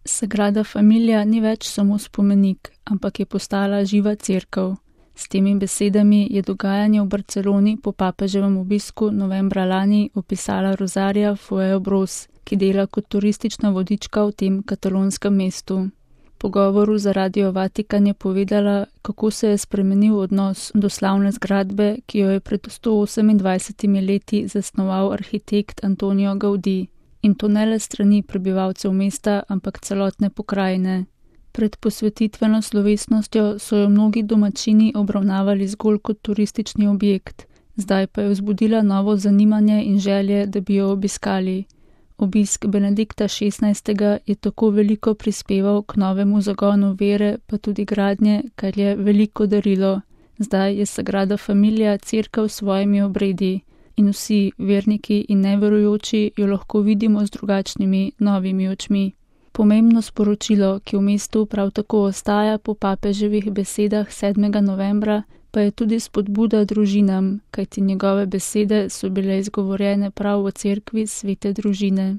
Sagrada Familia ni več samo spomenik, ampak je postala živa cerkev. S temi besedami je dogajanje v Barceloni po papeževem obisku novembra lani opisala Rosaria Fuentealba, ki dela kot turistična vodička v tem katalonskem mestu. V pogovoru za Radio Vatikan je povedala, kako se je spremenil odnos do slavne zgradbe, ki jo je pred 128 leti zasnoval arhitekt Antonio Gaudí. In to ne le strani prebivalcev mesta, ampak celotne pokrajine. Pred posvetitveno slovesnostjo so jo mnogi domačini obravnavali zgolj kot turistični objekt, zdaj pa je vzbudila novo zanimanje in želje, da bi jo obiskali. Obisk Benedikta XVI. Je tako veliko prispeval k novemu zagonu vere, pa tudi gradnje, kar je veliko darilo. Zdaj je Sagrada Familia cerkev s svojimi obredi in vsi, verniki in neverujoči, jo lahko vidimo z drugačnimi, novimi očmi. Pomembno sporočilo, ki v mestu prav tako ostaja po papeževih besedah 7. novembra, pa je tudi spodbuda družinam, kajti njegove besede so bile izgovorjene prav v cerkvi svete družine.